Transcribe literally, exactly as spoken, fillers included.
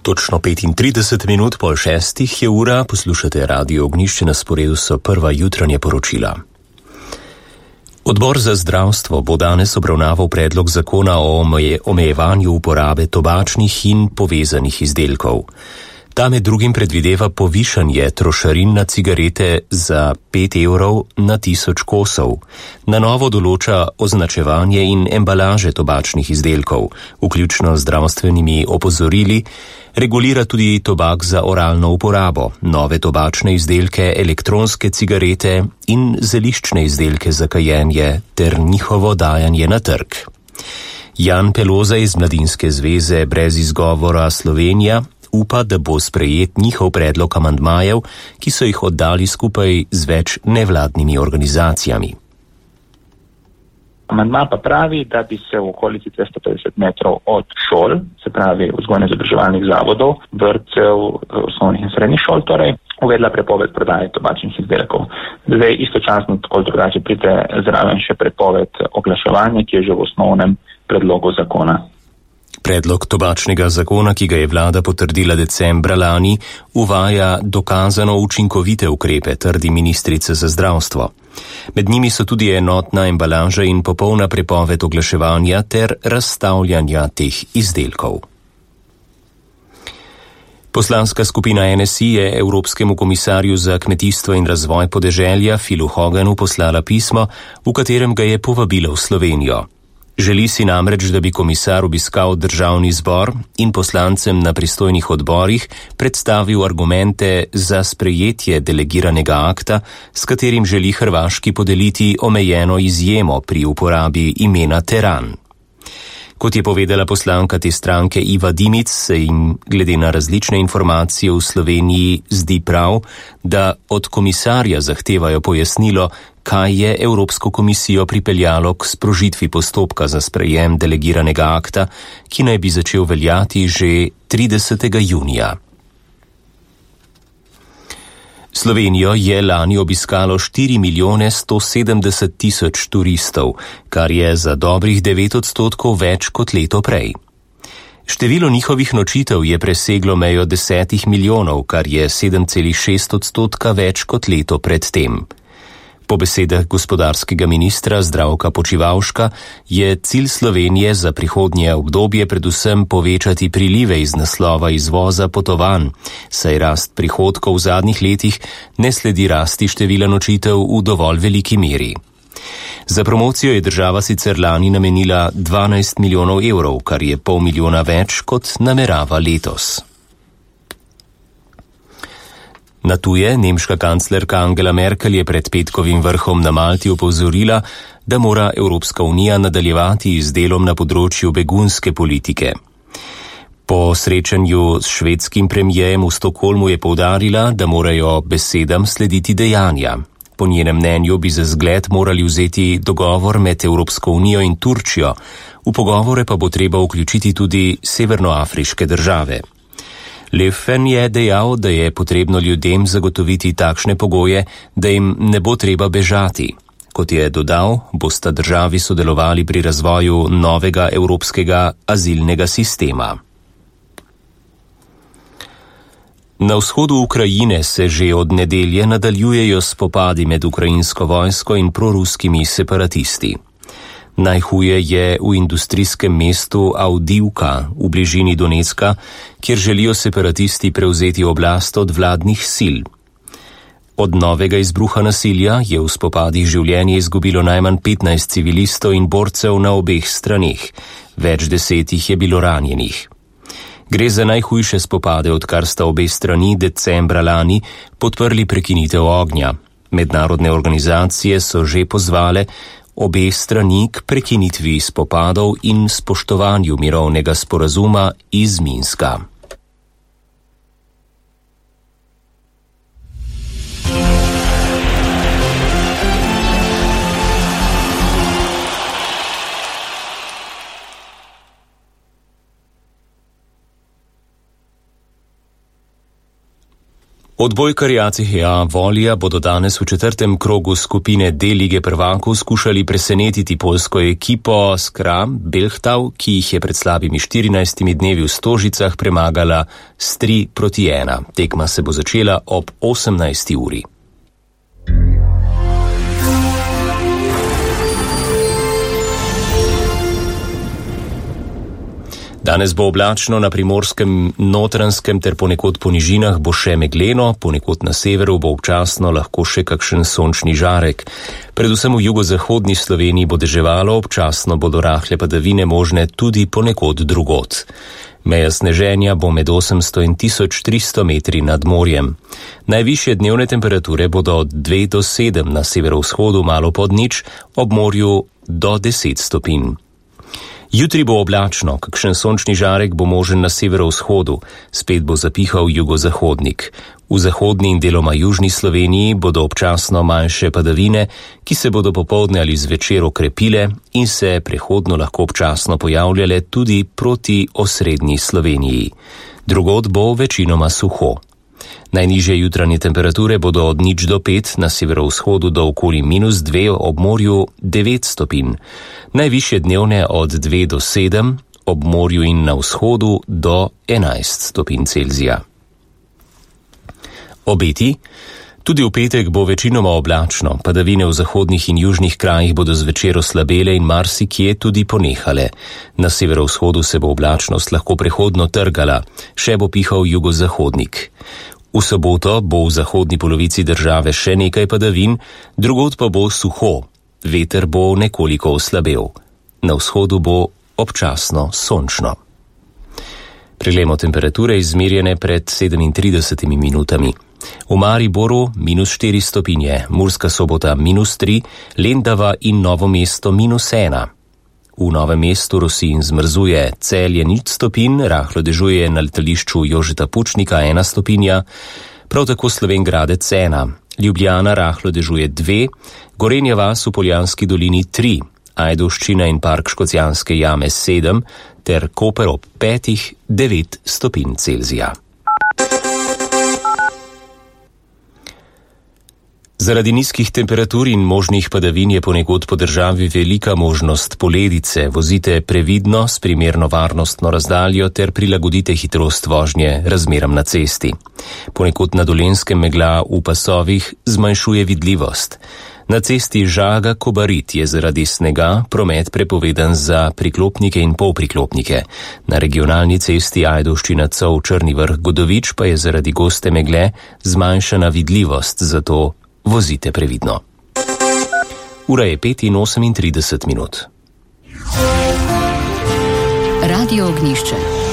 Točno petintrideset minut pol šestih je ura, poslušate Radio Ognjišče, na sporedu so prva jutranje poročila. Odbor za zdravstvo bo danes obravnaval predlog zakona o omeje, omejevanju uporabe tobačnih in povezanih izdelkov. Ta med drugim predvideva povišanje trošarin na cigarete za pet evrov na tisoč kosov. Na novo določa označevanje in embalaže tobačnih izdelkov, vključno z zdravstvenimi opozorili, regulira tudi tobak za oralno uporabo, nove tobačne izdelke, elektronske cigarete in zeliščne izdelke za kajenje ter njihovo dajanje na trg. Jan Peloza iz Mladinske zveze Brez izgovora Slovenija upa, da bo sprejet njihov predlog amandmajev, ki so jih oddali skupaj z več nevladnimi organizacijami. Amandma pa pravi, da bi se v okolici dvesto petdeset metrov od šol, se pravi vzgojno-izobraževalnih zavodov, vrtcev, osnovnih in srednjih šol, torej uvedla prepoved prodaje tobačnih izdelkov. Zdaj istočasno tako drugače pride zraven še prepoved oglaševanja, ki je že v osnovnem predlogu zakona. Predlog tobačnega zakona, ki ga je vlada potrdila decembra lani, uvaja dokazano učinkovite ukrepe, trdi ministrica za zdravstvo. Med njimi so tudi enotna embalaža in popolna prepoved oglaševanja ter razstavljanja teh izdelkov. Poslanska skupina N S I je Evropskemu komisarju za kmetijstvo in razvoj podeželja Philu Hoganu poslala pismo, v katerem ga je povabila v Slovenijo. Želi si namreč, da bi komisar obiskal državni zbor in poslancem na pristojnih odborih predstavil argumente za sprejetje delegiranega akta, s katerim želi Hrvaški podeliti omejeno izjemo pri uporabi imena teran. Kot je povedala poslanka te stranke Iva Dimic, se jim glede na različne informacije v Sloveniji zdi prav, da od komisarja zahtevajo pojasnilo, kaj je Evropsko komisijo pripeljalo k sprožitvi postopka za sprejem delegiranega akta, ki naj bi začel veljati že tridesetega junija. Slovenijo je lani obiskalo štiri milijone sto sedemdeset tisoč turistov, kar je za dobrih devet odstotkov več kot leto prej. Število njihovih nočitev je preseglo mejo desetih milijonov, kar je sedem celih šest odstotka več kot leto pred tem. Po besedah gospodarskega ministra Zdravka Počivalška je cilj Slovenije za prihodnje obdobje predvsem povečati prilive iz naslova izvoza potovanj, saj rast prihodkov v zadnjih letih ne sledi rasti števila nočitev v dovolj veliki meri. Za promocijo je država sicer lani namenila dvanajst milijonov evrov, kar je pol milijona več kot namerava letos. Na tuje nemška kanclerka Angela Merkel je pred petkovim vrhom na Malti opozorila, da mora Evropska unija nadaljevati z delom na področju begunske politike. Po srečanju s švedskim premijejem v Stokholmu je poudarila, da morajo besedam slediti dejanja. Po njenem mnenju bi za zgled morali vzeti dogovor med Evropsko unijo in Turčijo, v pogovore pa bo treba vključiti tudi severnoafriške države. Leffen je dejal, da je potrebno ljudem zagotoviti takšne pogoje, da jim ne bo treba bežati. Kot je dodal, bosta državi sodelovali pri razvoju novega evropskega azilnega sistema. Na vzhodu Ukrajine se že od nedelje nadaljujejo spopadi med ukrajinsko vojsko in proruskimi separatisti. Najhuje je v industrijskem mestu Avdivka v bližini Donecka, kjer želijo separatisti prevzeti oblast od vladnih sil. Od novega izbruha nasilja je v spopadih življenje izgubilo najmanj petnajst civilistov in borcev na obeh straneh, več desetih je bilo ranjenih. Gre za najhujše spopade, odkar sta obe strani decembra lani podprli prekinitev ognja. Mednarodne organizacije so že pozvale obe strani k prekinitvi spopadov in spoštovanju mirovnega sporazuma iz Minska. Odbojkarji A C H A Volija bodo danes v četrtem krogu skupine D lige prvakov skušali presenetiti poljsko ekipo Skra Belhtav, ki jih je pred slabimi štirinajstimi dnevi v Stožicah premagala s tri proti ena. Tekma se bo začela ob osemnajsti uri. Danes bo oblačno, na Primorskem, Notranjskem ter ponekod po nižinah bo še megleno, ponekod na severu bo občasno lahko še kakšen sončni žarek. Predvsem v jugozahodni Sloveniji bo deževalo, občasno bodo rahle padavine možne tudi ponekod drugod. Meja sneženja bo med osemsto in tisoč tristo metri nad morjem. Najvišje dnevne temperature bodo od dve do sedem na severovzhodu, malo pod nič, ob morju do deset stopinj. Jutri bo oblačno, kakšen sončni žarek bo možen na severovzhodu, spet bo zapihal jugozahodnik. V zahodni in deloma južni Sloveniji bodo občasno manjše padavine, ki se bodo popoldne ali zvečer okrepile in se prehodno lahko občasno pojavljale tudi proti osrednji Sloveniji. Drugod bo večinoma suho. Najnižje jutranje temperature bodo od nič do pet, na severovzhodu do okoli minus dve, ob morju devet stopinj. Najvišje dnevne od dve do sedem, ob morju in na vzhodu do enajst stopinj Celzija. Obeti. Tudi v petek bo večinoma oblačno, padavine v zahodnih in južnih krajih bodo zvečer oslabele in marsikje tudi ponehale. Na severovzhodu se bo oblačnost lahko prehodno trgala, še bo pihal jugozahodnik. V soboto bo v zahodni polovici države še nekaj padavin, drugod pa bo suho, veter bo nekoliko oslabel. Na vzhodu bo občasno sončno. Preglejmo temperature izmerjene pred sedemintridesetimi minutami. V Mariboru minus štiri stopinje, Murska Sobota minus tri, Lendava in Novo mesto minus ena. V Novem mestu rosi in zmrzuje, Celje nič stopinj, rahlo dežuje na letališču Jožeta Pučnika ena stopinja, prav tako Slovenj Gradec ena, Ljubljana rahlo dežuje dve, Gorenja vas v Poljanski dolini tri, Ajdovščina in park Škocjanske jame sedem, ter Koper ob petih devet stopinj Celzija. Zaradi nizkih temperatur in možnih padavin je ponekod po državi velika možnost poledice. Vozite previdno, s primerno varnostno razdaljo ter prilagodite hitrost vožnje razmeram na cesti. Ponekod na Dolenjskem megla v pasovih zmanjšuje vidljivost. Na cesti Žaga-Kobarid je zaradi snega promet prepovedan za priklopnike in polpriklopnike. Na regionalni cesti Ajdovščina-Cov-Črni Vrh-Godovič pa je zaradi goste megle zmanjšana vidljivost, zato vozite previdno. Ura je pet in osemintrideset minut. Radio Ognjišče.